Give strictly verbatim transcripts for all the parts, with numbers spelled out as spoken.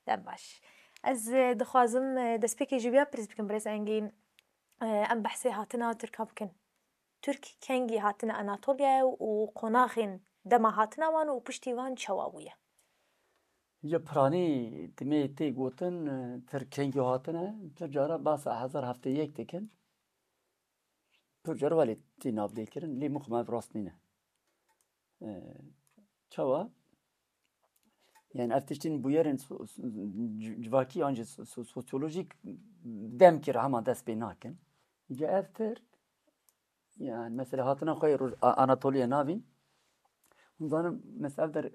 Dem baş. Ez, e, dixwazim, e, destpêkê ji wî ya pirs bikim, birêz Engîn. E, em behsê hatina Tirka bikin. Tirk kengî hatine Anatoliya û qonaxên dema hatina wan û piştî wan çawa bûye? Ya piranî dimê tê gotin, e, Tirk kengî hatine, tu cara basa hezar heftê yek dikin. Pir car welê tê navdê kirin, lê mixu me ev rast nîne. E, çawa? Yani ev tiştên bûyerên so- so- ci- civakî an jî so- so- sosyolojîk demkî re hema dest pê nakin. Îca ev Tirk, yani mesela hatina xwe yê Roj- A- Anatoliya navîn, hûn zanin mesela ev der, e,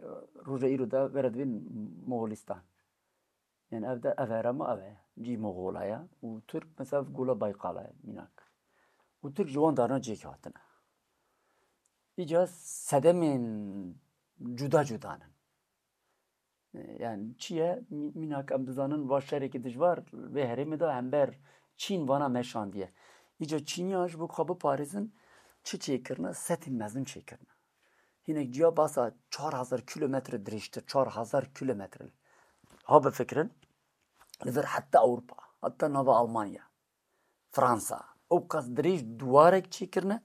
roja îro de were dibên Moxolistan. Yani ev de ev herema ev e. Cî Moxola ye. Û Tirk mesela ev gola Baykala ye, mînak. Û Tirk ji wan darna cêk hatine. Îca sedemên cuda cuda ne. Yani çi ye? Mî- Mînak em dizanin va şerekî dijwar vê herêmê de hember Çîn vana meşandiye. Îca Çîniya ji bo xwe biparêzin çi çêkirine? Setên mezin çêkirine. Hinek ciya basa çar hezar kilometre dirêjtir, çar hezar kilometre. Ha bifikirin, li vir heta Ewropa, heta nava Almanya, Fransa, ew qas dirêj duwarek çêkirine,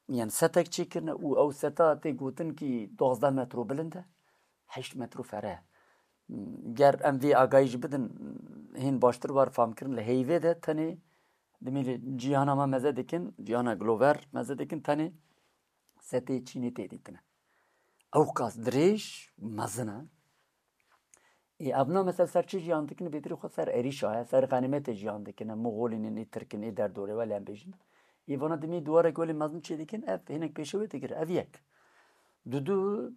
yani setek çêkirine û ew seta tê gotin kî duwazdeh metro bilind e, heşt metro fere. Ger em vê agahî jî bidin, hên baştir war famkirin, li heyvê de tenê dimê li cîhana me meze dikin, cîhana Glover meze dikin, tenê setê Çînê tê dîtine. Ew qas dirêj mezin e. Ê, evna mesela ser çi jiyan dikin? Bêtirî xwe ser êrîşa ye, ser xenîmetê jiyan dikine. Moxolînin, ê Tirkin, ê derdorê welê em bêjin. Ê vana dimê duwarek welê mezin çê dikin, ev hinek pêşe wê digir, ev yek. Dudu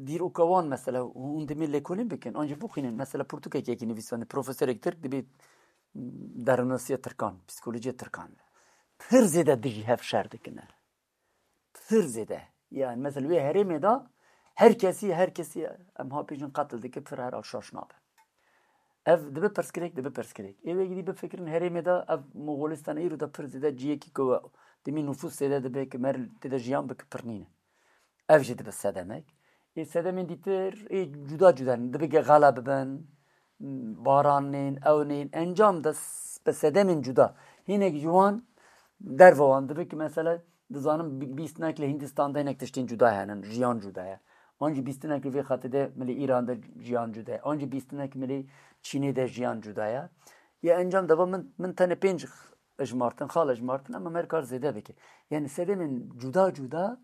dîroka wan mesela hûn dimê lêkolîn bikin, an jî bixwînin. Mesela pirtûkek yekî nivîsandî, profesorek Tirk dibê derinasiya Tirkan, psîkolojiya Tirkan. Pir zêde dijî hev şer dikine. Pir zêde. Yani mesela wê herêmê de her kesî, her kesî em ha pêjin qetil dike, pir her şaş nabe. Ev dibe pirsgirêk, dibe pirsgirêk. Ê wê gidî bifikirin herêmê de ev Moxolistan îro de pir zêde ciyekî ku dimî nufus zêde dibe ki mer tê de jiyan bike pir nîne. Ev jî dibe sedemek. Ê sedemên dîtir ê cuda cuda ne. Dibe ge xela bibin, baran nên, ew nên. Encam de s- bi sedemên cuda. Hinek ji wan derve wan dibe ki mesela dizanin bi- bîstinek li Hindistan de hinek tiştên cuda henin, jiyan cuda ye. An jî bîstinek li vê xetê de milê Îran de jiyan cuda ye. An jî bîstinek milê Çînê de jiyan cuda ye. Ya encam de va min, min tenê pênc ijmartin, xal ijmartin, ama me kar zêde bike. Yani sedemên cuda cuda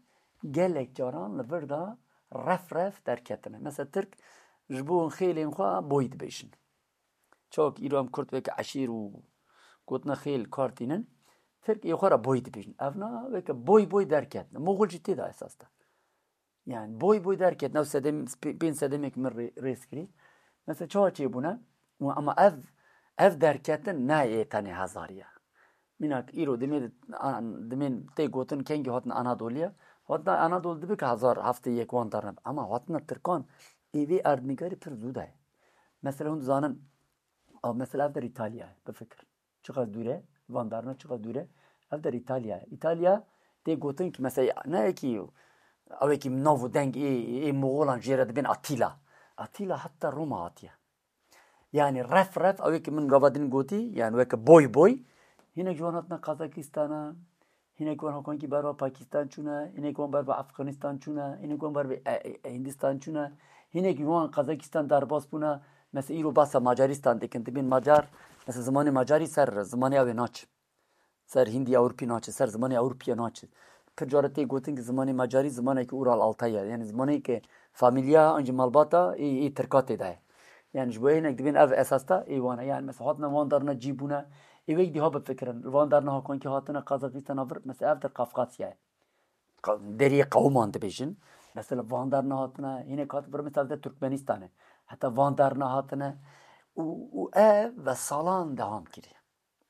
gelek caran li vir de ref ref derketine. Mesela Tirk ji bo xêlên xwe boy dibêjin. Çawk îro em Kurd weke eşîr û gotina xêl kar tînin, Tirk ê xwe re boy dibêjin. Evna weke boy boy derketine. Moxol jî tê de esas de. Yani boy boy derketin, ew sedem, pê- pênc sedemek min rê- rêz kirî. Mesela çawa çêbûne? Û ama ev, ev derketin ne yê tenê hezarî ye. Mînak îro dimê, an- dimên tê gotin kengî hatin Anadoliye. Hatina Anadol dibe ki hezar heftê yek wan darne. Ama hatina Tirkan ê vê erdnigarî pir zû de ye. Mesela hûn dizanin, a, mesela ev der Îtalya ye, bifikir. Çiqas dûr e, van darna çiqas dûr e. Ev der Îtalya ye. Îtalya tê gotin ki mesela ne yekî, ew yekî nav û deng ê, ê Moxolan jê re dibên Atîla. Atîla heta Roma hatiye. Yani ref ref, ew yekî min gava din gotî, yani weke boy boy. Hinek ji wan hatina Kazakistana, hinek wan hakonkî berva Pakistan çûne, hinek wan berva Afganistan çûne, hinek wan berva e, e, e, Hindistan çûne, hinek ji wan Kazakistan derbas bûne. Mesela îro basa Macaristan dikin, dibên Macar, mesela zimanê Macarî ser zimanê ew ê naçe. Ser Hindî Ewropî naçe, ser zimanê Ewropiye naçe. Pir cara tê gotin ki zimanê Macarî zimanekî Ural Altay ye. Yani zimanekî famîlya an jî malbata ê, ê Tirka tê de ye. Yani ji bo hinek dibên ev esas de ê wan e. Yani mesela hatina van darna cî bûne. Ê wek dî ha bifikirin. Li van darna hakonkî hatine Kazakistana vir, mesela ev der Kafkasya ye. Qa- Deriyê qewman dibêjin. Mesela van darna hatine, hinek hat vir mesela de Türkmenistan e. Heta van darna hatine. Û, û ev ve salan dewam kiriye.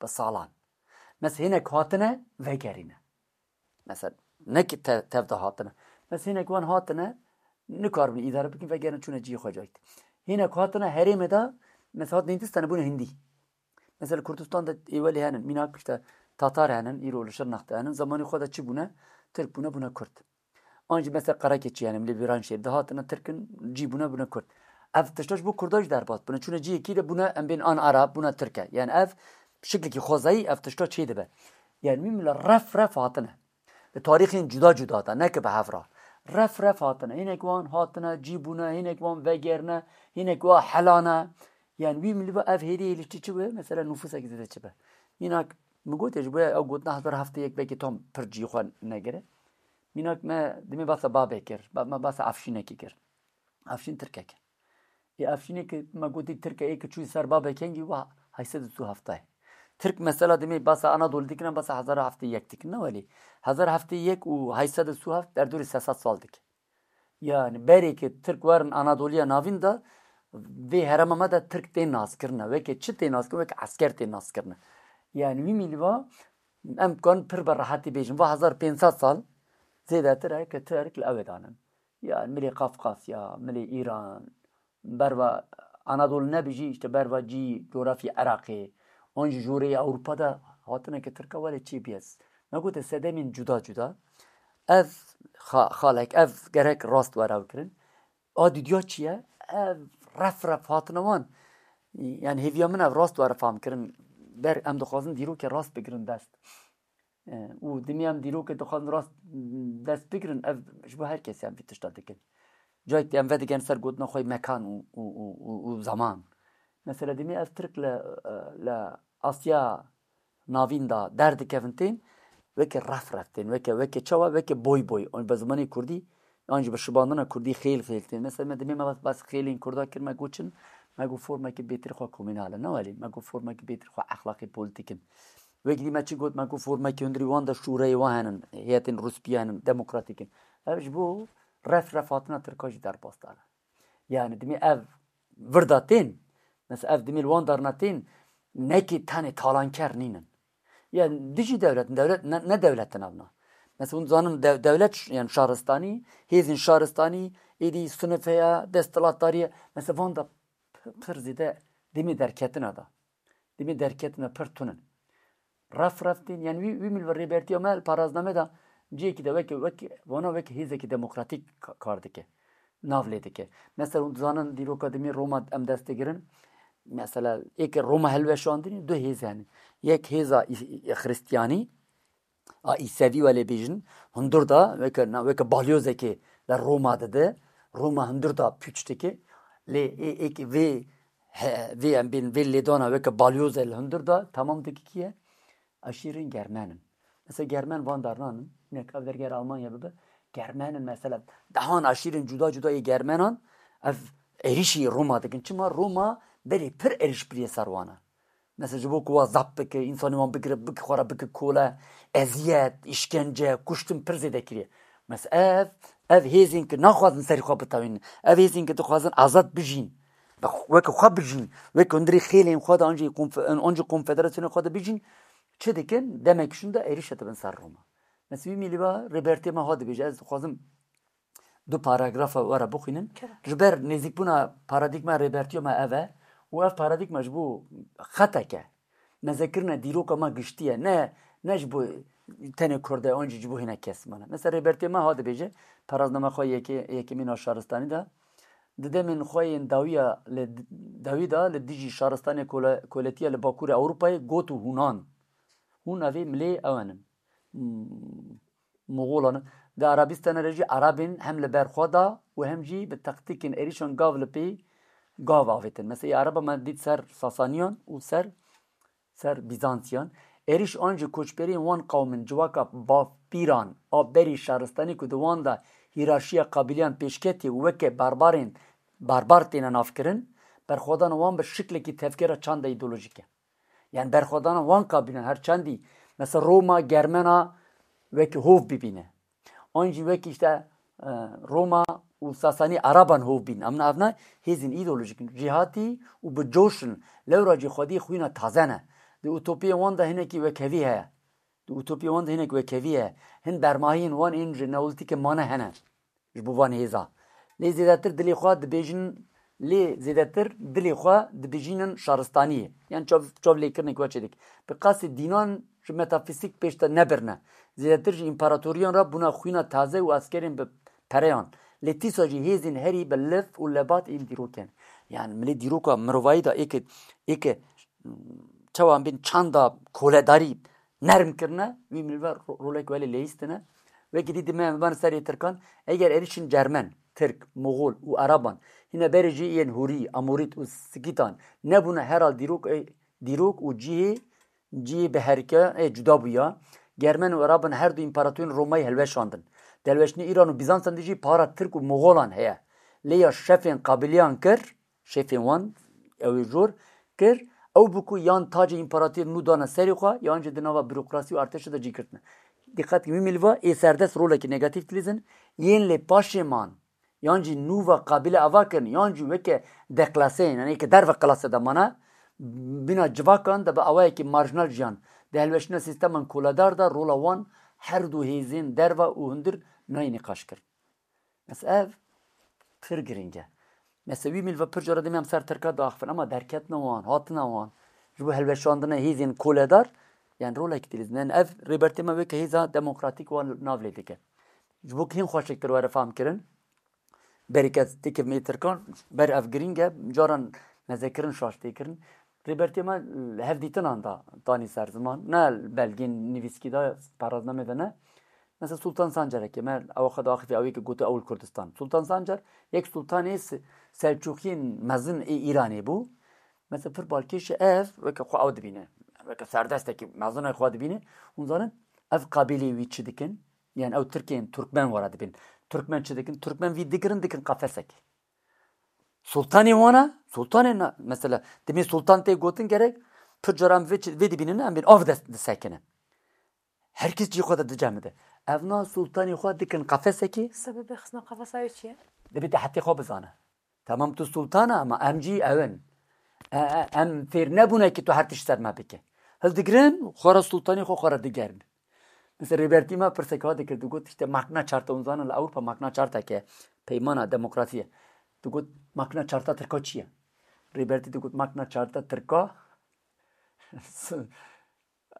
Bi salan. Mesela hinek hatine vegerîne. Mesela ne ki te, tev de hatine. Mesela hinek wan hatine nikaribin îdare bikin, vegerine çûne cihê xwe cayî. Hinek hatine herêmê de mesela hatin Hindistanê bûne Hindî. Mesela Kurdistan de êwelê henin, mînak işte Tatar henin, îro li Şirnex de henin, zemanê xwe de çi bûne? Tirk bûne, bûne Kurd. An jî mesela Qerekeçî henin, li Viranşehîr de hatine Tirkin cî bûne, bûne Kurd. Ev tişta ji bo Kurda jî derbas bûne. Çûne cihekî de bûne em bên an Arab, bûne Tirke. Yani ev şiklekî xwezayî ev tişta çê dibe. Yani wî mila ref ref hatine. Li tarîxên cuda cuda de, neke bi hev re. Ref ref hatine. Hinek wan hatine, cî bûne, hinek wan vegerine, hinek wa helane. Yani wî milî ve ev hêdî hêlî çi çi be? Mesela nufusek zêde çi be? Mînak min gotê ji bo ew gotina hezar heftê yek belkî tam pir cî xwe negire. Mînak me dimê basa babê kir, ba- me basa Efşînekî kir. Efşîn Tirkek. Ê Efşînê ki me gotî Tirke ê ki çûyî ser babê kengî wa heyşt sed û sî û heft. Tirk mesela dimê basa Anadolî dikine, basa hezar heftê yek dikine, welî hezar heftê yek û heyşt sed û sî û heft derdorê sê sed sal dike. Yani berê ki Tirk werin Anadoliya Navîn de vê herema me de Tirk tên naskirine. Weke çi tên naskirine? Weke esker tên naskirine. Yani wî mîlî va em kan pir bi rehetî bêjin. Va hezar pênc sed sal zêdetir e ki Tirk li ew ê danin. Yani milê Kafkasya, milê Îran, berva Anadolu nebijî, işte berva cî, coğrafya Iraqê, an jî jorê Ewropa de hatine ki Tirka welê çê biyez. Me gote sedemên cuda cuda. Ev xa- xalek, ev gerek rast were kirin. A didiya çi ye? Ev ref ref hatine wan. Yani hêviya min ev rast were fam kirin. Ber em dixwazin dîrokê rast bigirin dest. E, û dimê em dîrokê dixwazin rast dest bigirin, ev ji bo her kesî em vî tişta dikin. Cayek em vedigerin ser gotina xwe yê mekan û, û, û, û, û zaman. Mesela dimê ev Tirk li, e, li Asya Navîn de derdikevin tên, weke ref ref tên, weke, weke çawa, weke boy boy. An bi zimanê Kurdî, an jî bi şibandina Kurdî xêl xêl tên. Mesela me dimê me bas, bas xêlên Kurda kir, me got çin, me got formekî bêtir xwe komînal e. Ne welî, me got formekî bêtir xwe exlaqî polîtîk in. Wekî dî me çi got, me got formekî hundirî wan de şûreyê wan henin, heyetên rûspî henin, demokratîk in. Ev ji bo ref ref hatina Tirka jî derbas dane. Yani dimê ev vir de tên, mesela ev dimê li wan darna tên, nekî tenê talanker nînin. Yani dijî dewlet, dewlet ne, ne dewlet in evna. Mesela hûn zanin de, dewlet ş- yani şaristanî, hêzên şaristanî, êdî sinife ya, desthilatdarî ye. Mesela van de p- pir zêde dimê derketina da. Dimê derketina pir tunin. Ref ref tên, yani wî, wî mil ve rêbertiya me li parazname de cihekî de weke, weke, vana weke hêzekî demokratîk ka- kar dike. Nav lê dike. Mesela hûn dizanin dîroka dimê Roma em dest digirin. Mesela êke Roma hilweşandinî du hêz hene. Yek hêza î- î- Xristiyanî, a Îsevî welê bêjin, hundir da, weke, na, weke balyozekê li Roma dide, Roma hundir da pûç dike. Lê ê, êk vê, he, vê em bên vê lêdana weke balyoze li hundir da temam dike kî ye? Aşîrên Germen in. Mesela Germen van darnan in, hinek ev derger Almanya bibe, Germen in mesela, dehan aşîrên cuda cuda yê Germenan, ev êrîşî Roma dikin. Çima Roma berê pir êrîş biriye ser wan e. Mesela ji bo ku wa zapt bike, însanê wan bigire, bike xwe re bike kole, eziyet, îşkence, kuştin pir zêde kiriye. Mesela ev, ev hêzên ki naxwazin serî xwe bitewînin, ev hêzên ki dixwazin azad bijîn, bi xwe- weke xwe bijîn, weke hundirê xêlên xwe de an jî konfe- an jî konfederasyonê xwe de bijîn, çi dikin? Demek şûn de êrîşe dibin ser Roma. Mesela wî mîlî va rêbertê me ha dibêje, ez dixwazim du paragrafa we re bixwînin. Kerem. Ji ber nêzîkbûna paradîgma rêbertiya me ev e û ev paradîgma ji bo xetek e. Mezekirine dîroka me giştî ye. Ne, ne ji bo tenê Kurd e, an jî ji bo hinek kes mane. Mesela rêbertiya me ha dibêje, parazname xwe yekê, yekemîn a şaristanî de, di demên xwe yên dawiya li, dawî de li dijî şaristanê kole- koletiya li Bakurê Ewropayê got û hûnan. Hûn evê milê ew in. Hmm. Moxolan di Arabistana re jî Arabên hem li ber xwe da û hem jî bi taktîkên êrîşan gav li pê gav avêtin. Mesela Araba me dît ser Sasaniyan û ser, ser Bîzantiyan. Êrîş an jî koçberiyên wan qewmin civaka bavpîran a berî şaristanî ku di wan de hîrarşiya qabîliyan pêşketî û weke barbarên barbar têne navkirin, berxwedana wan bi şiklekî tevgera çanda îdeolojîk e. Yani berxwedana wan kabîlan her çendî, mesela Roma Germena wekî hov bibîne. An jî wekî işte, e, Roma û Sasanî Araban hov bîn. Em ne ev ne hêzên îdeolojik in. Cîhatî û bi coş in. Lewra jî xwedî xwîna taze ne. Di utopiyên wan de hinekî wekhevî heye. Di utopiyên wan de hinek wekhevî heye. Hin bermahiyên wan ên ji neolîtîkê mane hene. Ji bo van hêza. Lê zêdetir dilê xwe dibêjin, lê zêdetir dilê xwe dibijînin şaristaniyê. Yan çav, çav lêkirinek we çêdik. Bi qasê dînan ji metafîzîk pêş de nebirine. Zêdetir ji împaratoriyan re bûna xwîna taze û eskerên bi pereyan. Lê tîsa jî hêzên herî bi liv û lebat ên dîrok in. Yani milê dîroka mirovayî de êke, êke çawa bên çanda koledarî nerm kirine, wî milve ro-, rolek welê leyîstine. Wekî dî dime em biban serê Tirkan, eger êrişên Cermen, Tirk, Moxol û Eraban hîne berê jî yên Hûrî, Amorît û Skîtan nebûne herhal dîrok, ê, dîrok û cihê, cihê bi herike, ê, cuda bûya. Germen û Eraban her du împaratorên Romayê hilweşandin. Di hilweştinê Îran û Bîzansan de jî para Tirk û Moxolan heye. Lê ya şefên qabîliyan kir, şefên wan, ew ê jor kir, ew bû ku yan tacê împaratorê nû dane serê xwe, yan jî di nava burokrasî û artêşê de cî girtine. Dîqet kin, wî milva ê serdest rolekî negatîf dilîzin, yên lê paşê man, yan jî nû va qabîle ava kirin, yan jî weke deklaseyên, yani êke derve klase de mane, bîna civakan de bi awayekî marjinal jiyan. Di helweştina sîsteman koledar de rola wan her du hêzên derve û hundir nayê nîqaş kirin. Mesela ev pir girîng e. Mesela wî milve pir cara demê em ser Tirka diaxifin, ama derketina wan, hatina wan, ji bo helweşandina hêzên koledar, yani rolek dilîzin. Yani ev Rêbertê me weke hêza demokratîk wan nav lê dike. Ji bo ku hîn xweşiktir were fam kirin, berî kes têkevimê Tirkan, ber ev girîng e, caran mezekirin şaş tê kirin. Rêbertê me li hevdîtinan da tanî ser ziman, ne li belgên nivîskî de, peraznamê de ne. Mesela Sultan Sancarekê me ew xwe diaxifî, ew ê ke gote ew li Kurdistan. Sultan Sancar yek sultanê Se-, Selçûkiyên mezin ê Îranê bû. Mesela pir balkêş e ev, weke xwe ew dibîne. Weke serdestekî mezin e xwe dibîne. Hûn zanin ev qabîlê wî çi dikin? Yani ew Tirkên, Turkmen were dibin. Turkmen çi dikin? Turkmen vî digirin, dikin qefesekê. Sultanê wana, sultanê na, mesela, demê sultan tê gotin gerek, pir cara em vê çi-, vê dibînin, em bên av des-, disekinin. Her kes cî xwe de dicemide. Ev na sultanê xwe dikin qefesekê. Sebebê xistina qefesa wê çi ye? Dibê te hetê xwe bizane. Tamam, tu sultan e, ama em cî ew in. E, e, em fêr nebûne ki tu her tişt ser me bike. Hildigirin, xwe re sultanê xwe xwe re digerin. Mesela Rêbertî me pirsek ha dikir, digot, işte, makina çarta, hûn zanin li Ewropa makina çarta ke peymana demokrasî ye. Digot, makina çarta Tirka çi ye? Rêbertî digot, makina çarta Tirka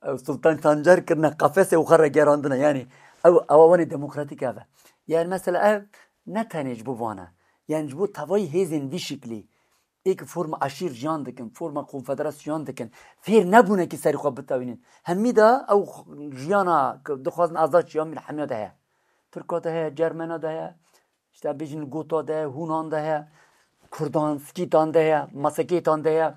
ew Sultan Sancar kirine qefesê û xwe re gerandine. Yani ew, ew awanê demokratîk ev e. Yani mesela ev ne tenê ji bo van e. Yani ji bo tevayî hêzên vî şiklî ê ki forma eşîr jiyan dikin, forma konfederasyon dikin, fêr nebûne ki serî xwe bitewînin. Hemî de ew jiyana ki dixwazin azad jiyan bin hemiya de heye. Tirka de heye, Cermena de heye, işte bêjin Gota de heye, Hûnan de heye, Kurdan, Skîtan de heye, Masekêtan de heye,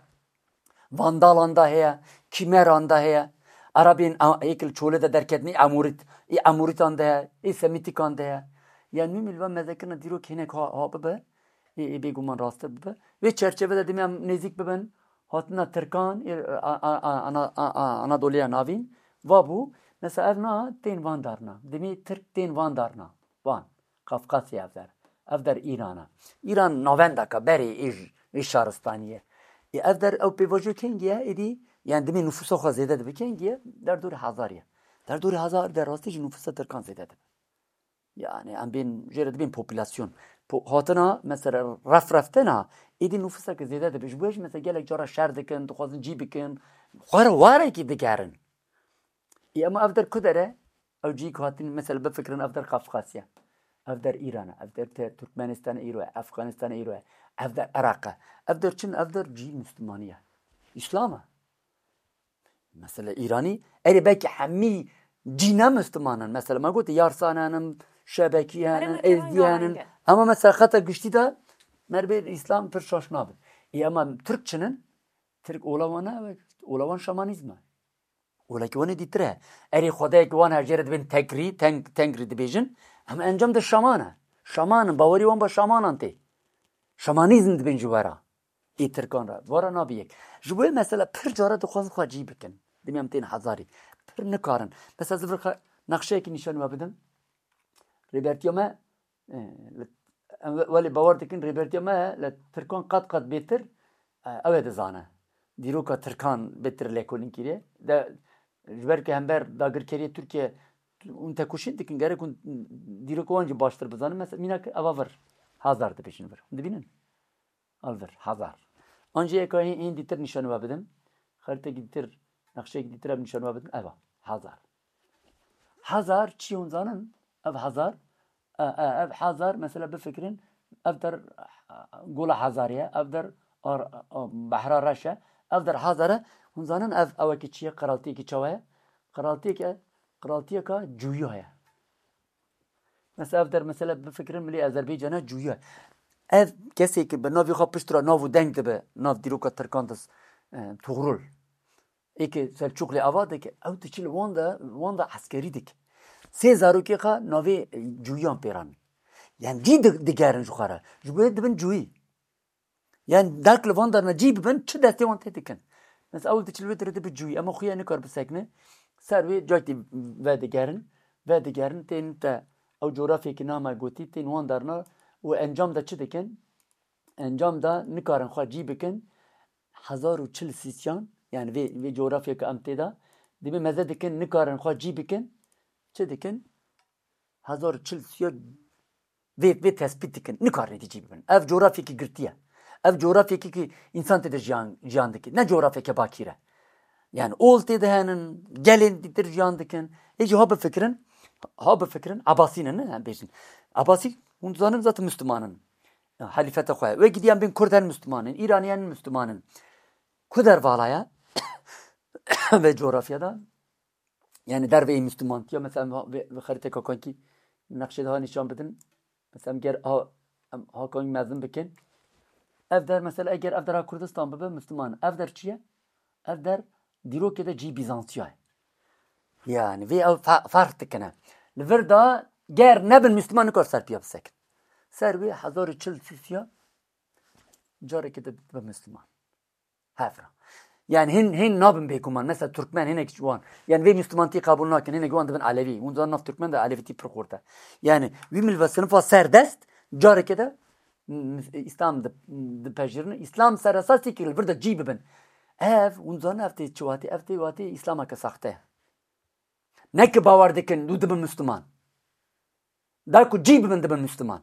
Vandalan de heye, Kîmeran de heye, Erebên a-, ê ki li Çolê de derketin, ê Amûrît, ê Amûrîtan de heye, ê Semîtîkan de heye. Ya nû milva mezekirina dîrok hinek ha, ha bibe. Ê, ê bêguman rasttir bibe. Vê çerçeve de demê em nêzîk bibin hatina Tirkan, ê, a, a, a, Ana-, a, a, Anadoliya Navîn. Va bû, mesela ev na tên van darna. Demê Tirk tên van darna. Van. Kafkasya ev der. Ev der Îran e. Îran navendeka berê ê j-, ê şaristanî ye. Ê ev der ew pêvajo kengî ye, êdî, yani demê nufûsa xwe zêde dibe kengî ye, derdorê hezar ye. Derdorê hezar der rastî jî nufûsa Tirkan zêde dibe. Yani em bên jê re dibên populasyon. Po-, hatina mesela ref reftena êdî nufuseke zêde dibe. Ji bo jî mesela gelek cara şer dikin, dixwazin cî bikin. Xwe re warekî digerin. Ê ema ev der ku der e? Ew cî ku hatin mesela bifikirin ev der Kafkasya. Ev der Îran e, ev der te-, Turkmenistan îro ye, Efganistan îro ye, ev der Iraq e. Ev der çin, ev der cî Müslümanî ye. Îslam e. Mesela Îranî, erê belkî hemî cî ne Müslüman in. Mesela me gote Yarsan henin, Şebekî henin, Êzdî henin. Ama mesela xeta giştî de me re bê Îslam pir şaş nabe. Ê, ama Tirk çin in? Tirk ola wan ne, ola wan şamanîzm e. Olekî wan ê dîtir e. Erê xwedayekî wan hejê re dibên Tekrî, Teng-, Tengrî dibêjin. Em encam de şaman e. Şaman in, bawerî wan ba şamanan tê. Şamanîzm dibên ji we re. Ê Tirkan re. Vara nabî yek. Ji bo yê mesela pir cara dixwazin xwe cî bikin. Dimê em tên hezarî. Pir nikarin. Mesela ez vir xwe nexşeyekî nîşan we bidim. Rêbertiya me, e, li, em we-, welê bawer dikin rêbertiya me li Tirkan qet qet bêtir, e, ew ê dizane. Dîroka Tirkan bêtir lêkolîn kiriye. De, ji ber ku hember dagirkeriya Tirkiye hûn tekoşîn dikin, gerek hûn dîroka wan jî baştir bizanin. Mesela mînak eva vir, Hazar dibêjin vir. Hûn dibînin? Ev vir, Hazar. An jî yeka hîn, hîn dîtir nîşan we bidim. Xeritekî dîtir, nexşeyekî dîtir ev nîşan we bidim. Eva, Hazar. Hazar çi hûn zanin? Ev Hazar, E, e, ev Hazar, mesela bifikirin, ev der, e, Gola Hazar e, ev der ar-, a, Behra Reş e, ev der Hazar e. Hûn zanin ev, ew ki çi ye, qiraltiyekî çawa ye? Qiraltiyeke, qiraltiyeka cuya ye. Mesela ev der, mesela bifikirin milê Azerbaycan'a cuya. Ev kesê ki bi navê xwe pişt re nav û deng dibe, nav dîroka Tirkan de, e, Tuğrul. Ê ki Selçuklu ava dike, ew diçil wan de, wan de eskerî dike. Sê zarokê xwe navê, e, cuyan pêran. Yani cî di-, digerin ji xwe re. Ji bo dibin cuyî. Yani dak li van derna cî bibin, çi destê wan tê dikin. Mesela ew diçil wê dire dibi cuyî. Ema xuya nikar bisekine. Ser wê caytî vedigerin. Vedigerin, tên te ew coğrafyekî nama gotî, tên wan derna û encam de çi dikin? Encam de nikarin xwe cî bikin. Hezar û çil sîsyan, yani vê, vê coğrafyeke em tê de, dibê meze dikin, nikarin xwe cî bikin. Çi dikin? Hezar û çil sîsyan vê, vê tespît dikin. Nikarin êdî cî bibin. Ev coğrafyekî girtî ye. Ev coğrafyekî ki însan tê de jiyan, jiyan dike. Ne coğrafyeke bakîr e. Yani ol tê de henin, gelên dîtir jiyan dikin. Ê jî ha bifikirin, ha bifikirin, Abasî ne, ne, em bêjin. Abasî, hûn zanin zaten Müslüman in. Halîfeta xwe. Wê gidî em bên Kurd her Müslüman in, Îranî her Müslüman in. Ku dervala ye? Vê coğrafya de. Yani derveyî Müslümantiya, mesela em ha-, vê, vê xeriteka kankî nexşê daha nîşan bidin. Mesela em ger ha, em ha kankî mezin bikin. Ev der mesela eger ev der ha Kurdistan bibe Müslüman. Ev der çi ye? Ev der dîrokê de cî Bizantiya ye. Yani vê ew fe-, ferq dikine. Li vir de ger nebin Müslüman nikar ser piya bisekin. Ser wê hezar û çil sîsya carekê de dibe Müslüman. Hevra. Yani hin, hin nabin bêguman. Mesela Türkmen hinek wan. Yani vê Müslümantî qebûl nakin. Hinek wan dibin Elevî. Hûn zanin nav Türkmen de Elevîtî pir xurt e. Yani wî milve sinifa serdest carekê de m-, m-, Îslam di, dipejirine. Îslam ser esasî ki li vir de cî bibin. Ev, hûn zanin ev tê çi watê? Ev tê watê Îslameke saxte. Ne ki bawer dikin û dibin Müslüman. Da ku cî bibin dibin Müslüman.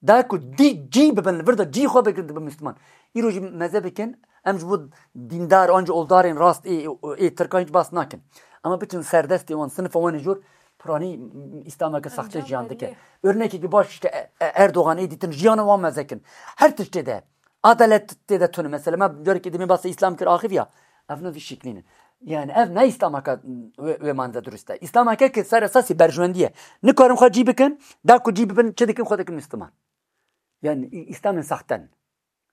Da ku dî cî bibin, li vir de cî xwe bigirin, dibin Müslüman. Îro jî meze bikin, em ji bo dîndar, an jî oldarên rast ê, ê, ê Tirkan hiç bas nakin. Ama biçin serdestê wan, sinifa wan ê jor, piranî Îslameke saxte jiyan dike. Örnekekî baş işte, e, e, Erdogan ê dîtin jiyana wan meze kin. Her tiştê de. Adalet tê de tune. Mesela me carekê demê basa Îslam kir axiv ya. Ev ne vî şiklî ne. Yani ev ne Îslamaka wê, wê mane de durust e. Îslamaka ki ser esasî berjwendî ye. Nikarin xwe cî bikin, da ku cî bibin, çi dikin, xwe dikin Müslüman. Yani Î-, Îslamên saxte ne.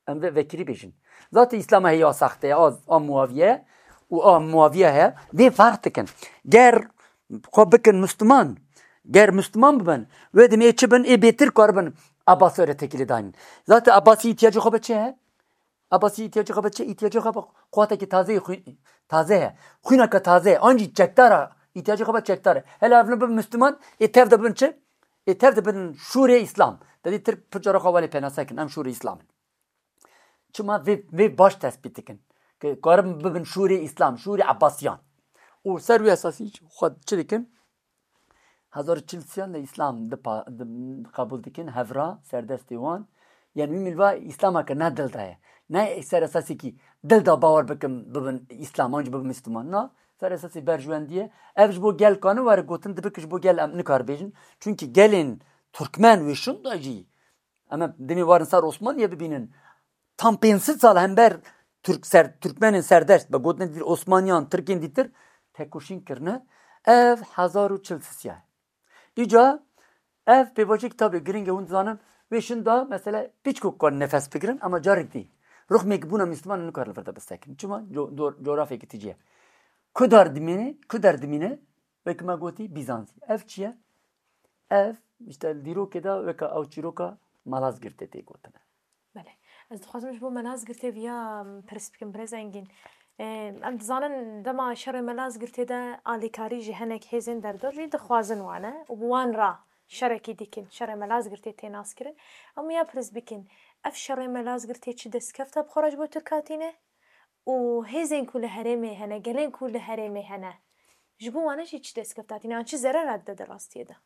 Em vê vekirî bêjin. Zaten Îslama heye ya saxte ye, a, a muaviye û a muaviye heye. Vê ferq dikin. Ger xwe bikin Müslüman, ger Müslüman bibin, wê demê çi bin, ê bêtir karibin Abbasî re têkilî daynin. Zaten Abbasî îhtiyacê xwe bi çi heye? Abbasî îhtiyacê xwe bi çi? Îhtiyacê xwe bi quwatekî taze yê xwî-, taze heye. Xwîneke taze ye. An jî çekdar e. Îhtiyacê xwe bi çekdar e. Hele ev ne bin Müslüman, ê tev de bin çi? Ê tev de bin şûrê Îslam. Te dî Tirk pir cara xwe welê pênase kin. Em şûrê Îslam in. Çima vê, vê baş tespît dikin. Ki karin bibin şûrê Îslam, şûrê Abbasiyan. Û ser wî esasî xwe çi dikin? Hezar û çil sîyan de Îslam dipa-, di-, qebûl dikin, hevra, serdestê wan. Yani wî milva Îslameke ne dil de ye. Ne ser esasekî dil de bawer bikin, bibin Îslam, an jî bibin Müslüman. Na, ser esasê berjwendî ye. Ev ji bo gel kanin were gotin, dibe ki ji bo gel em nikar bêjin. Çunkî gelên Türkmen wê şûn de jî Em ê demê warin ser Osmaniye bibînin. Tam pênc sed sal hember Türk ser, Türkmenên serdest, be gotinê dîtir Osmaniyan, Tirkên dîtir tekoşîn kirine. Ev hezar û çil sisiya. Îca ev pêvajoyek tabî giring e, hûn dizanin, wê şûn de mesela piçkok karin nefes bigirin, ama carek dî. Ruxmêk bûna Müslüman nikarin li vir de bisekin. Çima? Co-, co-, coğrafyeke tijî ye. Ku der dimîne, ku der dimîne, wek me gotî Bîzantî. Ev çi ye? Ev, işte, dîrokê de weke ew çîroka Malazgirtê tê gotine. Belê. Ez dixwazim ji bo Malazgirtê viya, em, pirs bikim, birêz Engîn. Em, em dizanin dema şerê Malazgirtê de alîkarî ji hinek hêzên derdor jî dixwazin wane û bi wan re şerekî dikin, şerê Malazgirtê tê naskirin. Em ya pirs bikin, ev şerê Malazgirtê çi destkefta bi xwe re ji bo Tirka tîne? Û hêzên ku li herêmê hene, gelên ku li herêmê hene, ji bo wan jî çi destkefta tîne, yan çi zerera dide di rastiyê de?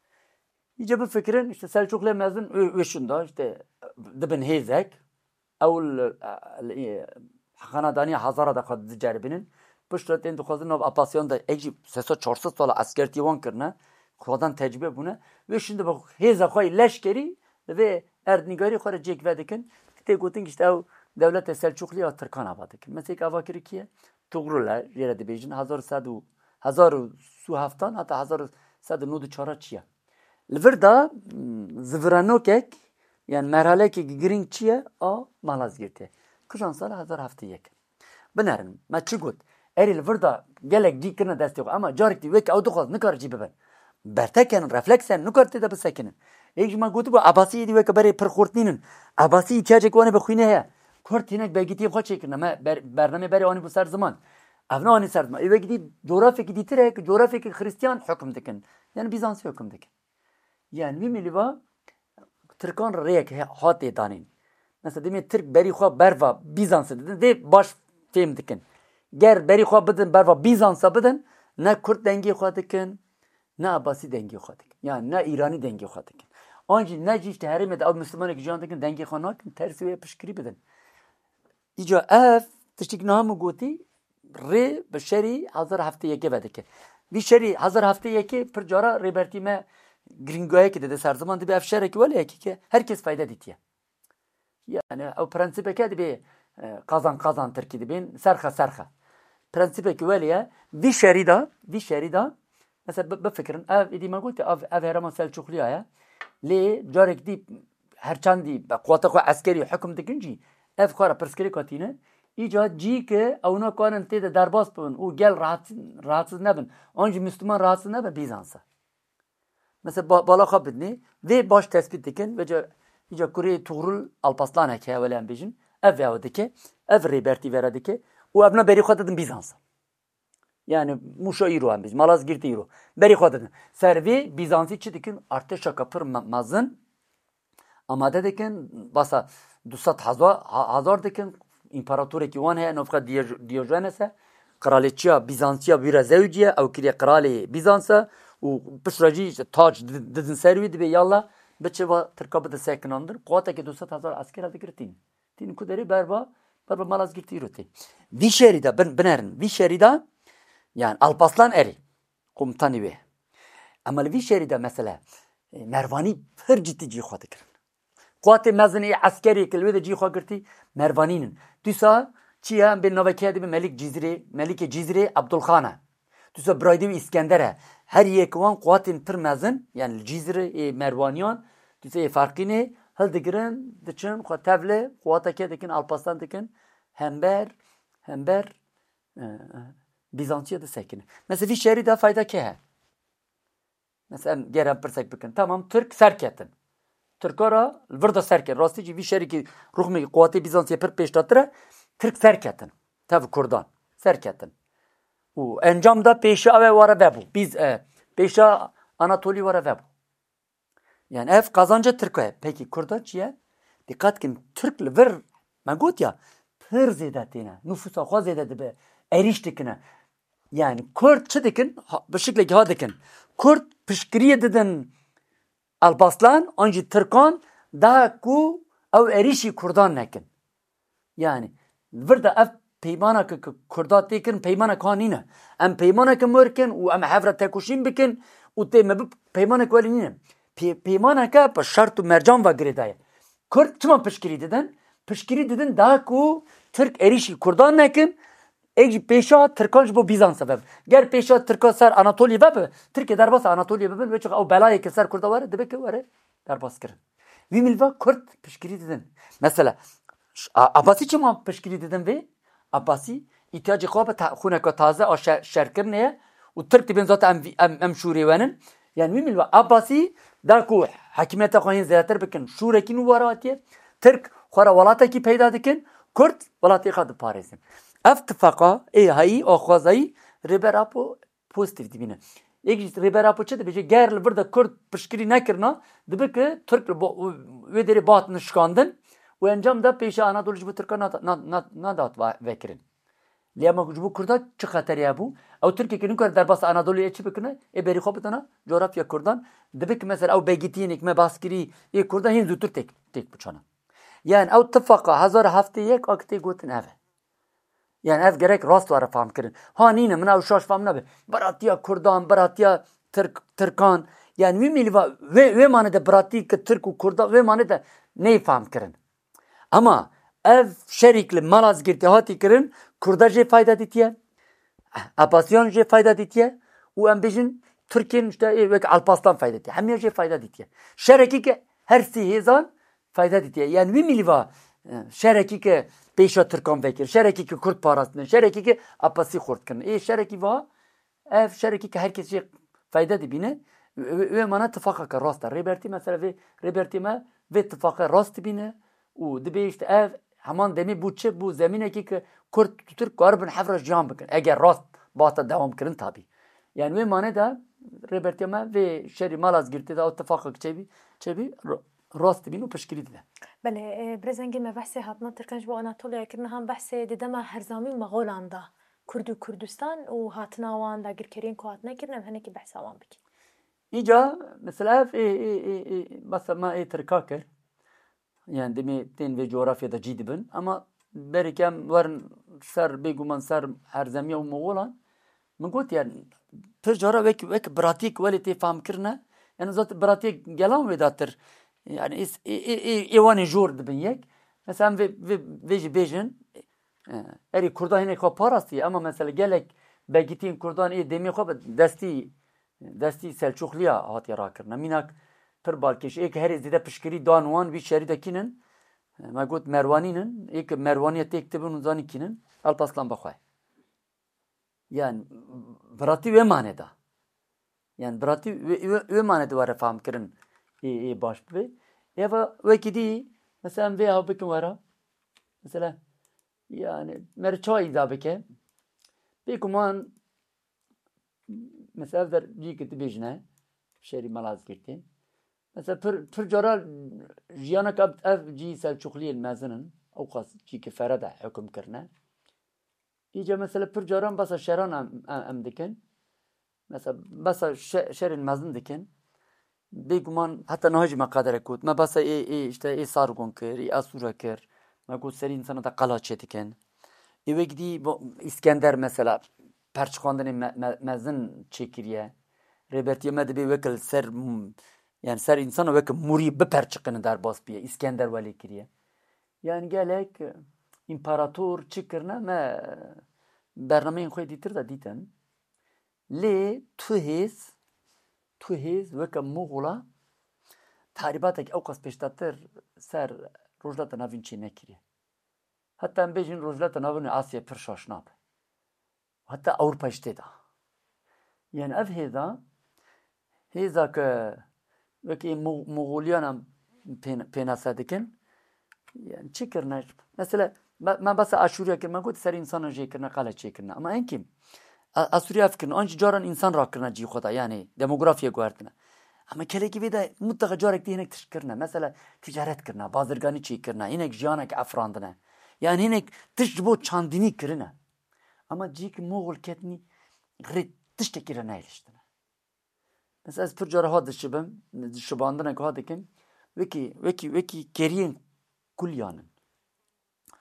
Îca bifikirin, işte Selçuklu mezin wê, wê şûn de, işte dibin hêzek, ew li, li, xanedaniya Hazara de xwe diceribînin. Piştre tên dixwazin nav Apasiyan de, ek jî sê sed çar sed sala eskertiyê wan kirine, Xwedan tecrûbe bûne. Wê şûn dibe hêza xwe yê leşkerî, li vê erdnîgarî xwe re cêk vedikin. Tê gotin ki işte ew dewlete Selçûqlî ya Tirkan ava dikin. Mesela ava kiri kî ye? Tugrul e, jê re dibêjin. Hezar û sed û, hezar û sê û heftan heta hezar û sed û nod û çar çi ye? Li vir de, m, ziviranokek, yani merhalekek girîng çi ye? A Malazgirtê. Kijan sala? Hezar heftê yek. Binerin, me çi got? Erê li vir de gelek cî kirine destê xwe. Ema carek dî wek ew dixwaz nikare cî bibin. Bertekenin, refleksen, nikare tê de bisekinin. Yek ji me gotibû, Ebasî êdî weke berê pir xurt nînin. Ebasî îhtiyacek wan ê bi xwînê heye. Kurd hinek begîtiyên xwe çêkirine. Me ber-, bernamê berê anî bû ser ziman. Ev ne anî ser ziman. Ê wek dî coğrafyekî dîtir heye ki coğrafyekî Xristiyan hukm dikin. Yani Bizansî hukm dikin. Yani wî milî va Tirkan rêyek he-, hatê danîn. Mesela demê Tirk berî xwe berva Bîzansê didin, dê baş fêm dikin. Ger berî xwe bidin berva Bîzansa bidin, ne Kurd dengê xwe dikin, ne Ebasî dengê xwe dikin. Yani ne Îranî dengê xwe dikin. An jî ne jî işte herêmê de ew Mislimanek jiyan dikin, dengê xwe nakin, tersî wê piştgirî bidin. Îca ev tiştik niha min gotî, rê bi şerî hezar heftê yekê vedike. Vî şerî hezar heftê yekê pir cara Rêbertî me girîngayekê dide ser ziman, dibe ev şerekî wele yekî ke her kes fayde dîtiye. Yani ew prensîpeke dibê, e, qazan qazan tirkî dibên serxe serxe. Prensîpekî welê ye. Vî şerî de, vî şerî de, mesela bi-, bifikirin, ev êdî me gotî, ev, ev herêma Selçûqliya ye. Lê carek dî her çendî bi quwata xwe eskerî hukm dikin jî, ev xwe re pirsgirêka tîne. Îca cî ki ew nakarin tê de derbas bibin û gel rahat-, rahatsiz nebin, an jî Müslüman rahatsiz nebin, Bîzans e. Mesela ba-, bala xwe bidinê, vê baş tespît dikin, vêca îca kurê Tugrul Alpaslanek heye, wele em bêjin, ev vê ew dike, ev Rêbertî vere dike û ev na berî xwe didin Bîzans e. Yani Mûşa îro em bêjin, Malazgirtî îro. Berî xwe didin. Ser vê Bîzansî çi dikin? Artêşeka pir me-, mezin amade dikin, basa du sed hezar, ha-, hezar dikin. Împaratorekî wan heye, navxwe Diyo-, Diyojenes e. Qiralêçiya Bîzansiya wî re zewiciye, ew kiriye qiralê Bîzans e û piştre jî işte tac di-, didin ser wî, dibê yalla biçe va Tirka bide sekinandin. Quwateke du sed hezar esker e digire tîn. Tînin ku derê berva, berva Malazgirtî îro tê. Vî şerî de bin-, binerin. Vî şerî de, yani Alpaslan erê, komutanî wê. Ema li vî şerî de mesele, e, Mervanî pir cidî cî xwe dikirin. Quwatê mezin ê eskerê ki li wê de cî xwe girtî, Mervanî nin. Dîsa çi ye? Em bên navekê dibe Melik Cizirê, Melikê Cizirê Abdulxan e. Dîsa biraydê wî Îskender e. Her yek wan quwatên pir mezin, yani li Cizirê ê Merwaniyan, dîsa ê Farqînê hildigirin, diçin xwe tevli, quwateke dikin, Alpaslan dikin, hember, hember, e, e, Bîzantiya disekinin. Mesela vî şerî de fayda kê he? Mesela em ger em pirsek bikin. Tamam, Tirk serketin. Tirka re li vir de serketin. Rastî jî vî şerî ki ruxmê quwatê Bîzantiye pir pêşdatir e, Tirk serketin. Tev Kurdan serketin. Û encam da pêşa ew ê were vebû. Biz, e, pêşa Anatolî were vebû. Yani ev qazanca Tirka ye. Peki Kurda çi ye? Dîqat kin, Tirk li vir, me got ya, pir zêde têne. Nufûsa xwe zêde dibe. Erîş dikine. Yani Kurd çi dikin? Ha, bi şiklekî ha dikin. Kurd piştgiriyê didin Alpaslan, an jî Tirkan, da ku ew erîşî Kurdan nekin. Yani vir de ev peymana ki, ki Kurda tê kirin, peymanek ha nîne. Em peymaneke mor kin û em hev re tekoşîn bikin û tê me bi peymanek welî nîne. Pê-, peymaneke bi şert û mercan ve girêdaye. Kurd çima piştgirî didin? Piştgirî didin da ku Tirk erîşî Kurdan nekin, êk jî pêşa Tirkan ji bo Bîzansa vebe. Ger pêşa Tirka ser Anatolya vebe, Tirkê derbasa Anatolya bibin, wê çax ew belayê ki ser Kurda were, dibe ki were derbas kirin. Vî milva Kurd piştgirî didin. Mesela, ş-, A-, Abbasî çima piştgirî didin vê? Abbasî îhtiyacê xwe bi ta-, xûneka taze a şe-, şerkirinê ye û Tirk dibên zaten em vî-, em, em şûrê wenin. Yani wî milva Abbasî da ku hekimiyeta xwe hên zêdetir bikin, şûrekî nû were hatiye. Tirk xwe re welatekî peyda dikin, Kurd welatê xwe diparêzin. Ev tifaqa ê hayî, axwazayî Rêber Apo pozîtîf dibîne. Yek jî Rêber Apo çi dibêje? Ger li vir de Kurd piştgirî nekirina, dibe ki Tirk li bo-, wê derê bihatin şikandin û encam de pêşa Anadolî ji bo Tirkan nat-, na-, na-, nadat va-, vekirin. Lê ema ji bo Kurda çi xeterê hebû? Ew Tirkiyê ki nikare derbasa Anadoliyê çi bikine? Ê berî xwe bidana coğrafya Kurdan. Dibe ki mesela ew begîtiyên êk me bas kirî ê Kurda hên zûtir têk, têk biçana. Yani ew tifaqa hezar heftê yek a ki tê gotin ev e. Yani ev gerek rast were fam kirin. Ha nîne, min ew şaş fam nebe. Biratiya Kurdan, biratiya Tirk, Tirkan, yani wî mîlva wê, wê mane de biratî ki Tirk û Kurda wê mane de neyê fehm kirin. Ama ev şerîk li Malazgirtê hatî kirin, Kurda jê fayda dîtiye, Apasiyan jê fayda dîtiye û em bêjin Tirkên işte ê wek Alpaslan fayda dîtiye. Hemiya jê fayda dîtiye. Şerekî ki her sî hêzan fayda dîtiye. Yani wî mîlva e, şerekî ki pêşa Tirkan vekir, şerekî ki Kurd parastin, şerekî ki Apasî xurt kirin. Ê şerekî va Ev şerekî ki her kes jê fayde dibîne, wê, wê mane tifaqeke rast e. Rêbertî mesela vê, rêbertî me vê tifaqe rast dibîne û dibê işte ev heman demê bû çi bû zemînekî ki Kurd û Tirk karibin hev re jiyan bikin. Eger rast bata dewam kirin tabî. Yani wê mane de rêbertiya me vê şerî Malazgirtê de ew tifaqek çêbî, çêbî ra-, rast dibîn û piştgirî dide. Belê, e, birêzengê me behsê hatina Tirkan ji bo Anatoliya kirine, han behsê di dema Herzamî û Mexolan da. Kurd û Kurdistan û hatina wan dagirkeriyên ku hatine kirin, em hinekî behsa wan bikin. Îca, mesela ev ê, ê, ê, ê, mesela me ê Tirka kir. Yani demê tên vê coğrafya de cî dibin. Ama berê ke em werin ser, bêguman ser Herzemiya û Moxolan, min got yani pir cara wek, wek biratiyek welê tê fam kirine. Yani zaten biratiyek gelan wê datir. Yani ê, ê, ê, ê, ê wan ê jor dibin yek. Mesela em vê, vê, vê jî bêjin, e, erê Kurda hinek xwe parastiye, ama mesela gelek begîtiyên Kurdan ê demê xwe bi destî, destî Selçuxliya hatiye rakirine. Mînak pir balkêş, ê ki herê zêde piştgirî dan wan vî şerî de kînin, e, me got Merwanîn in, ê ki Merwaniye têk dibin û zanî kînin, Alpaslan bixwe. Yani biratî wê mane da. Yani biratî wê, wê, wê mane de were fam kirin ê, ê baş bibe. Eva wekî dî, mesela em vê ew bikin wera. Mesela yani me re çawa îda bike. Bêguman mesela ev der cî ki dibêjine şerî Malazgirtê. Mesela pir, pir cara jiyanek ev, ev cî Selçuxliyên mezin in. Ew qas cî ki fere de hukm kirine. Îca mesela pir caran basa şeran em, em, em dikin. Mesela basa şe-, şerên mezin dikin. Bêguman heta niha jî me qaderek got. Me basa ê, ê işte ê Sargon kir, ê Asûra kir. Me got serî insana da qala çê dikin. Ê wek dî bo-, Îskender mesela perçiqandinê me, me, mezin çêkiriye. Rêbertiye me dibê wek li ser m-, yani ser insana wek murî biperçiqine derbas biye. Îskender welê kiriye. Yani gelek, e, împarator çi kirine me, e, bernameyên xwe dîtir de dîtin. Lê tu hêz, tu hêz weke Moxola tahrîbatek ew qas pêştatir ser Rojhilata Navîn çê nekiriye. Heta em bêjin Rojhilata Navîn Asyayê pir şaş nabe. Heta Ewropa jî tê de. Yani ev hêza, hêza ke wekî Mo-, Moxoliyan em pê-, pênase dikin. Yani çi kirine? Mesela me, me basa Aşûriya kir, me got ser insana jê kirine, qala çê kirine. Ama en kîm, A-, Aşûriya ev kirine, an jî caran insan rakirine cî xwe de, yani demografiye guhertine. Ama kelekî vê de mutlaka carek tê hinek tişt kirine. Mesela ticaret kirine, bazirganî çê kirine, hinek jiyanek efrandine. Yani hinek tişt ji bo çandinî kirine. Ama cî ki Moxol ketnî rê tiştekî re nehêliştine. Mesela ez pir cara ha dişibim, şibandinek ha dikim, wekî, wekî, wekî keriyên kulyan in.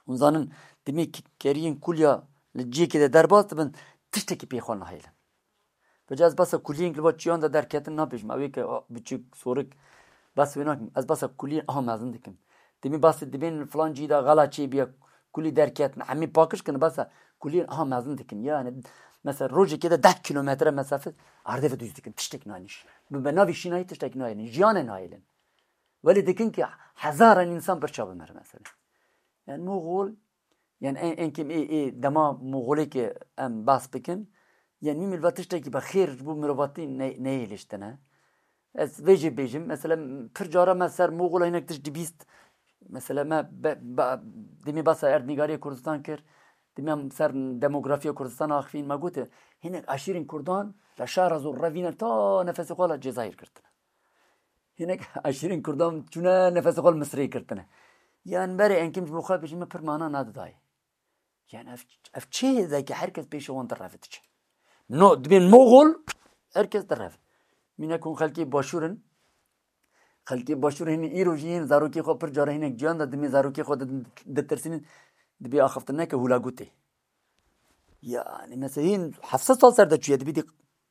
Hûn zanin, demê ki keriyên kulya li ciyekê de derbas dibin, tiştekî pê xwe nahêlin. Vêca ez basa kuliyên li va çiyan de derketin nabêjim. Ew ê ke, a, biçûk, sorik, bas wê nakim. Ez basa kuliyên aha mezin dikim. Demê basê dibên filan cî de xela çê biya, kulî derketin, hemî pakiş kin, basa kuliyên aha mezin dikin. Yani, mesela rojekê de deh kilometre mesafe erdê ve dûz dikin. Tiştek nayniş. Bi, bi navî şînayî tiştek naynin. Jiyanê nayêlin. Welê dikin ki hezaran insan birça bimir mesela. Yani Moxol, yani en, en kêm ê, ê dema Moxolê ki em bas bikin, yani mîmil va tiştekî bi xêr ji bo mirovatî ne-, neyê liştine. Ez vê jê bêjim, mesela pir cara me ser Moxola hinek tişt dibîst, mesela me be, be, demê basa erdnîgariyê Kurdistan kir, demê em ser demografiya Kurdistan axifîn, me gote, hinek aşîrên Kurdan li şara zor revîne ta nefesê xwe li Cezayir girtine. Hinek aşîrên Kurdan çûne nefesê xwe li Misirê girtine. Yan berê enkim ji bo xwe bêjin me pir mana nadidayê. Yani ev, ev çi hêzeke her kes pêşe wan direve diçe. No, dibên Moxol, her kes direve. Mînak hûn xelkê başûr in. Xelkê başûr hîn îro jî yên zarokê xwe pir cara hinek ciyan de dimê zarokê xwe di-, ditirsînin, dibê axiftin neke hûlagûtê. Yani mesela hîn heft sed sal ser de çûye, dibî dî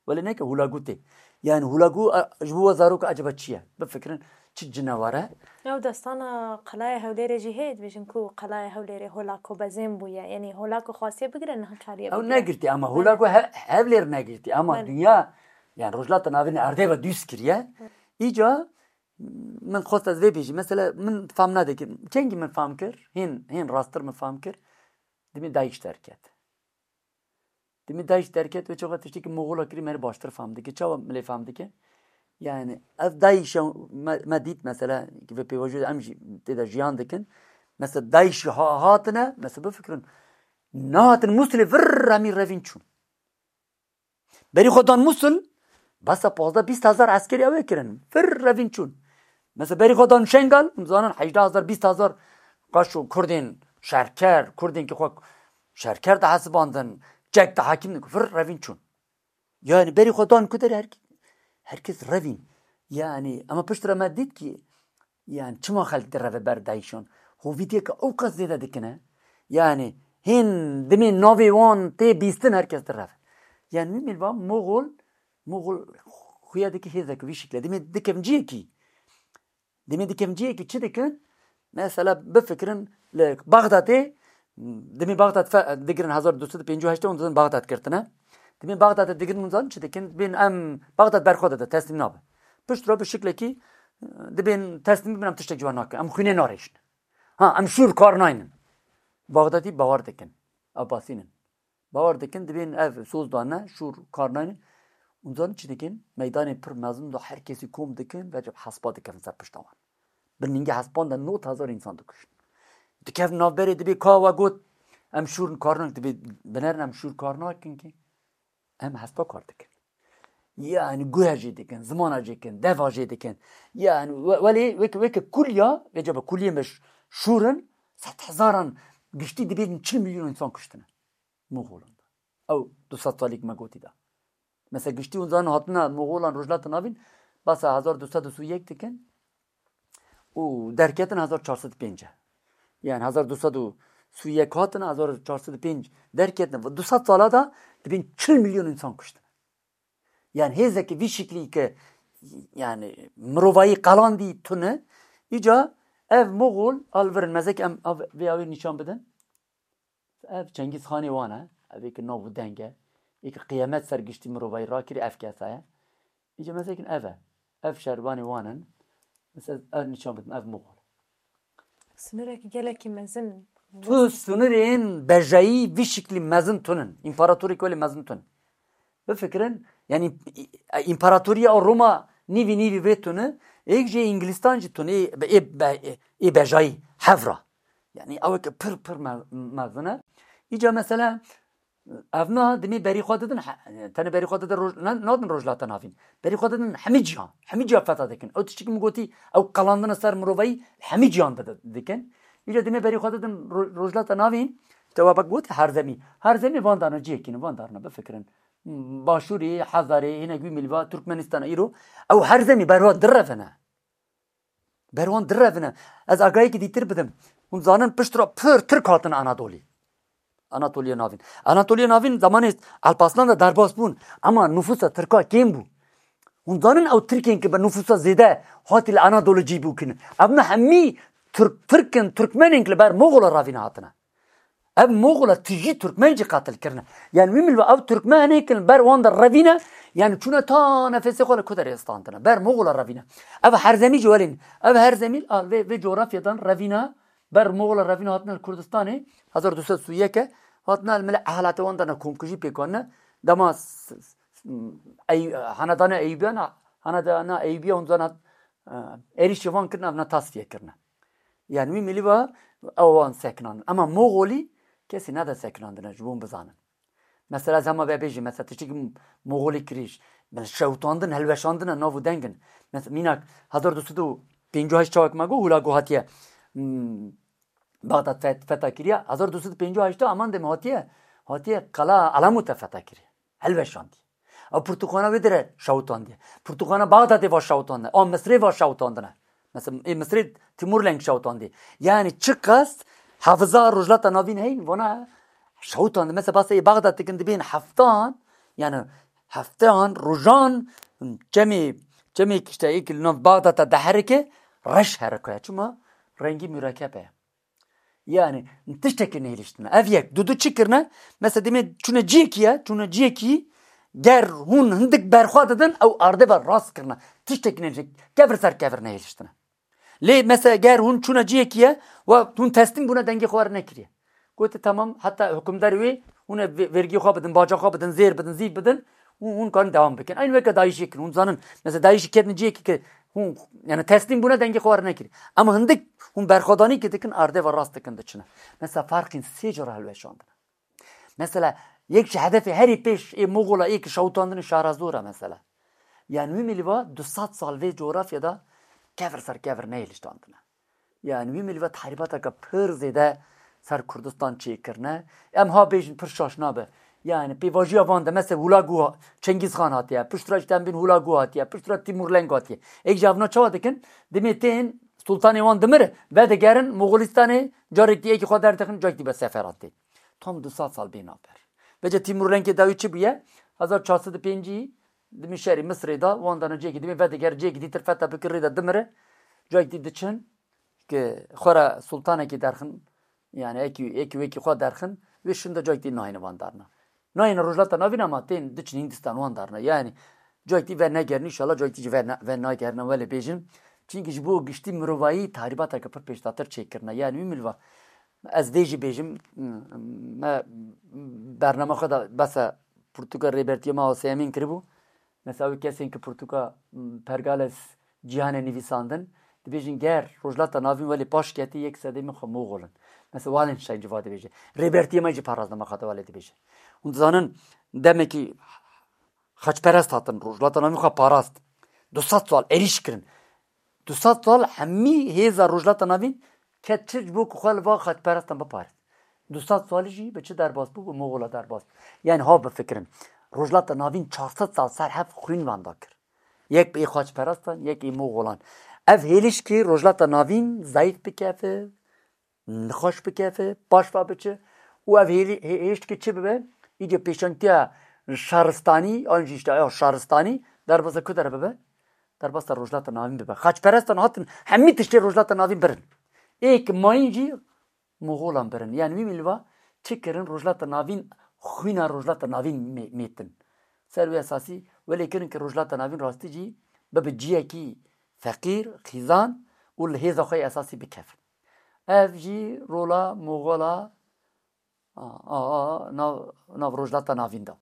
Welê neke Hulagu tê. Yani Hulagu, e, ji bo we zarok acaba çi ye? Bifikirin, çi cinewar e? Ew destana Qelaya Hewlêrê jî heye, dibêjin ku Qelaya Hewlêrê Holako bezên bûye. Yanî Holako xwestiye bigire, niha çariye Ew bigire. Negirtî ama Hulagu he, Hewlêr negirtî ama Belê. Dinya, yani Rojhilata Navîn erdê ve dûst kiriye. Îca min xwest ez vê bêjî. Mesela min fam nadikim. Kengî min fam kir? Hên, hên rasttir min fam kir. Dimê DAIŞ derket. Dimê DAIŞ derket, wê çaxa tiştekî Moxola kirî me rê baştir fam dike. Çawa milê fam dike? Yani ev DAIŞ e, me, me dît mesela, ki vê pêvajoyê em jî tê de jiyan dikin. Mesela DAIŞ ha-, hatine, mesela bifikirin, nehatin Musilê vir remî revîn çûn. Berî xwe dan Musil, besa pazdeh bîst hezar eskerî ew ê kirin. Vir revîn çûn. Mesela berî xwe dan Şengal, hûn zanin hejdeh hezar, bîst hezar qaşo Kurdên şerker, Kurdên ki xwe şerker de hesibandin, çek de hakim din, vir revîn çûn. Yani berî xwe dan ku derê her, herkes revîn. Yani ama piştre me dît ki, yani çima xelk direve ber DAIŞan? Hovîtiyeke ew qas zêde dikine. Yani hên dimê navê wan tê bîstin herkes direve. Yani wî mêl va Moxol, Moxol xuya dike hêzek vî şikle. Dimê dikevin ciyekî. Dimê dikevin ciyekî çi dikin? Mesela bifikirin li Baxdadê, dimê Baxdad fe-, digirin hezar du sed û pêncî û heşt hûn dizin Baxdad girtine. Dimê Baxdadê digirin hûn zanin çi dikin? Dibên em Baxdad berxwe dide, teslîm nabe. Piştre bi şiklekî, e, dibên teslîm bin, em tiştek ji wan nakin. Em xwînê narêşin. Ha, em şûr kar naynin. Baxdadî bawer dikin. Ew basînin. Bawer dikin, dibên ev soz dane, şûr kar naynin. Hûn zanin çi dikin? Meydanê pir mezin de her kesî kom dikin, vecib hespa dikevin ser pişta wan. Bi ningê hespan de nod hezar însan dikujin. Dikevin navberê, dibê ka we got, em şûr kar nakin, dibê binerin em şûr kar nakin ki. Em hespa kar dikin. Yani guhe jê dikin, zimana jê dikin, deva jê dikin. Yani we-, welê weke, weke kulya, vecebe kuliyê me ş-, şûr in, sed hezaran giştî dibên çil milyon însan kuştine. Moxolan da. Ew du sed salîk me gotî da. Mesela giştî hûn zanin hatina Moxolan Rojhilata Navîn, basa hezar du sed û sî û yek dikin û derketin hezar çar sed û pênc e. Yani hezar du sed û sî û yek hatin, hezar çar sed û pênc derketin. Du sed sala da dibên çil milyon însan kuştin. Yani hêzeke vî şiklî ke yani mirovayî qelandî tune, îca ev Moxol alvirin mezek em av-, vê awê nîşan bidin. Ev Çengîz Xanê wan e, ev ê ki nav û deng e, ê ki qiyamet ser giştî mirovayî rakirî ev kesa ye. Îca mezekin ev e. Ev şervanê wan in. Mesela ev nîşan bidim, ev Moxol. Sinirekî gelekî mezin. Tu sinirên bejayî vî şiklî mezin tunin. Împaratorîk welê mezin tun. Bifikirin, yani împaratoriya Roma nîvî nîvî vê tuni, êk jê Îngilîstan jî tuni, ê, ê, ê, ê bejayî hevra. Yani ew eke pir pir me-, mezin e. Îca mesela evna dimê berî xwe didin, he-, tenê berî xwe didin roj-, ne-, nadin Rojhilata Navîn. Berî xwe didin hemî cihan. Hemî cihan fetha dikin. Ew tiştekî min gotî, ew qelandina ser mirovayî hemî cihan de dikin. Îca dimê berî xwe didin ro-, Rojhilata Navîn, te we bak gotî her zemî. Her zemî van dana cihekî ne, van darna bifikirin. Başûrê, Hezarê, hinek wî milî va Turkmenistana îro. Ew her zemî berwa direvine. Ber wan direvine. Ez agahiyekî dîtir bidim. Hûn zanin pişt re pir Tirk hatin Anadolî. Anatoliya Navîn. Anatoliya Navîn zamanê Alparslan de derbas bûn. Ema nufûsa Tirka kêm bû. Hûn zanin ew Tirkên ki bi nufûsa zêde hatî li Anadolî cî bû kirin. Ev ne hemî Tirk, Tirk in, Tirkmenên ki li ber Moxola revîne hatine. Ev Moxola tijî Tirkmen jî qatil kirine. Yani wî milva ev Tirkmenê kin ber wan de revîne, yani çûne ta nefesê xwe li ku derê standine. Ber Moxola revîne. Ev Herzemî jî welên. Ev Herzemî, al vê, vê coğrafyadan revîne, ber Moxola revîne hatine li Kurdistanê, hezar du sed û yek e, hatine li milê ehlate wan de ne komkujî pêk hatine. Dema s-, s-, s-, Ey-, Hanedana Eyûbiyan, Hanedana Eyûbiya hûn zana, e, êrîşê wan kirine, ev ne tasfiye kirine. Yani wî milî va ew wan sekinandin. Ema Moxolî kesî nede sekinandine, ji bo hûn bizanin. Mesela ez hema vê bêjim, mesela tiştekî Moxolî kirî, mesela şewitandin, hilweşandine, nav û deng in. Mesela mînak hezar du sed û pêncî û heşt çawek me got, Hulagu hatiye, hmm, Baxdad fet-, fetha kiriye. Hezar du sed û pêncî û heşt de aman dem hatiye, hatiye Qala Alamût fetha kiriye. Hilweşandiye. Ew pirtûkxana wê dire şewitandine. Pirtûkxana Baxdadê va şewitandine. A Misrê va şewitandine. Mesela ê Misrê Timurlenk şewitandî. Yani çiqas hafiza Rojhilata Navîn heyn vana şewitandin. Mesela basê ê Baxdad dikin dibên heftan, yani Hefteyan, rojan, çemê, çemê kişte êk li nav Baxdata deherike, reş herikoye. Çima? Rengî murekeb e. Yani, tiştekî nehêliştine. Ev yek, dudu çi kirine? Mesela demê çûne ciyekî ye, çûne ciyekî, ger hûn hindik berxwe didin, ew ardê ve rast kirine. Tiştekî nehêliştine. Kevir ser kevir nehêliştine. Lê mesela ger hûn çûne ciyekî ye, we hûn teslîm bûne dengê xwe were nekiriye. Gote tamam, heta hukimdarê wê hûn ê ve-, vergiyê xwe bidin, baca xwe bidin, zêr bidin, zîv bidin, hûn, hûn karin dewam bikin. Eyn weke DAIŞê kirin. Hûn zanin, mesela DAIŞê ketin ciyekî ki hûn, yani teslîm bûne dengê xwe were nekiriye. Ama hindik hûn berxwedanî ki dikin, ardê ve rast dikin diçine. Mesela ferqîn sê cara hilweşandine. Mesela, yek ji hedefê herî pêş ê Moxola ê ki şewitandinê Şahrazor e mesela. Yani wî milî va du sed sal vê coğrafya de kevir ser kevir nehêliştandine. Yani wî milî va tehribateke pir zêde ser Kurdistan çêkirine. Em ha bêjin pir şaş nabe. Yani pêvajiya van de mesela Hulagu ha-, Çengîz Xan hatiye, piştre ji tembîn Hulagu hatiye, piştre Timur Leng hatiye. Êk ji evna çawa dikin? Dimê tên Sultanê wan dimir, vedigerin Moxolistanê, carek dî êkî xwe derdixin, carek dî be seferan tê. Tam du sed sal bê navber. Vêce Timur Lengê dawî çi bûye? Hezar çar sed û pêncî dimî şerî Misirê da, wan dana cihekî dimê vediger, cihekî dîtir fethe bikir rê de dimire. Cihek dî diçin ki xwe re sultanekî derxin, yani êkî, êkî wêkî xwe derxin, wê şin de cihek dî nayêne wan darna. Nayêne Rojhilata Navîn ama tên diçin Hindistan wan darna. Yani cihek dî venegerin, înşallah cihek dî jî vene-, venagerin, welê bêjin. Çimkî ji bo giştî mirovayî tahribateke pir pêşdatir çêkirine. Yani wî milva Ez vê jî bêjim, me bernama xwe de besa pirtûka Rêbertiyê me Hosê Emîn kiribû. Mesela wê kesên ki pirtûka, m, Pergales Cîhanê nivîsandin, dibêjin ger Rojhilata Navîn welê paş ketî yek sedê min xwe Moxol in. Mesela Wallenstein civa dibêje. Rêbertiyê me jî parazdama xwe de welê dibêje. Hûn dizanin demekî xaçperest hatin, Rojhilata Navîn xwe parast. Du sed sal êrîş kirin. Du sed sal hemî hêza Rojhilata Navîn ket çi ji bo ku xwe li va xaçperestan biparêz. Du sed salî jî bi çi derbas bû? Bi Moxola derbas bû. Yani ha bifikirin. Rojhilata Navîn çar sed sal ser hev xwîn wenda kir. Yek ê xaçperestan, yek ê Moxolan. Ev hêliş ki Rojhilata Navîn zayîf bikefe, nixweş bikefe, paş ve biçe û ev hêlî-, hê-, hêşt ki çi bibe? Îdî pêşangtiya şaristanî, an jî işte ya şaristanî, derbasa ku dere bibe? Derbasa Rojhilata Navîn bibe. Xaçperestan hatin hemî tiştê Rojhilata Navîn birin. Ê ki mayîn jî Moxolan birin. Yani wî milva çi kirin? Rojhilata Navîn, xwîna Rojhilata Navîn mê-, mêtin. Ser wî esasî welê kirin ki Rojhilata Navîn rastî jî bibe ciyekî feqîr, xîzan û li hêza xwe yê esasî bikevin. Ev jî rola Moxola, a, a, a, nav, nav Rojhilata Navîn da.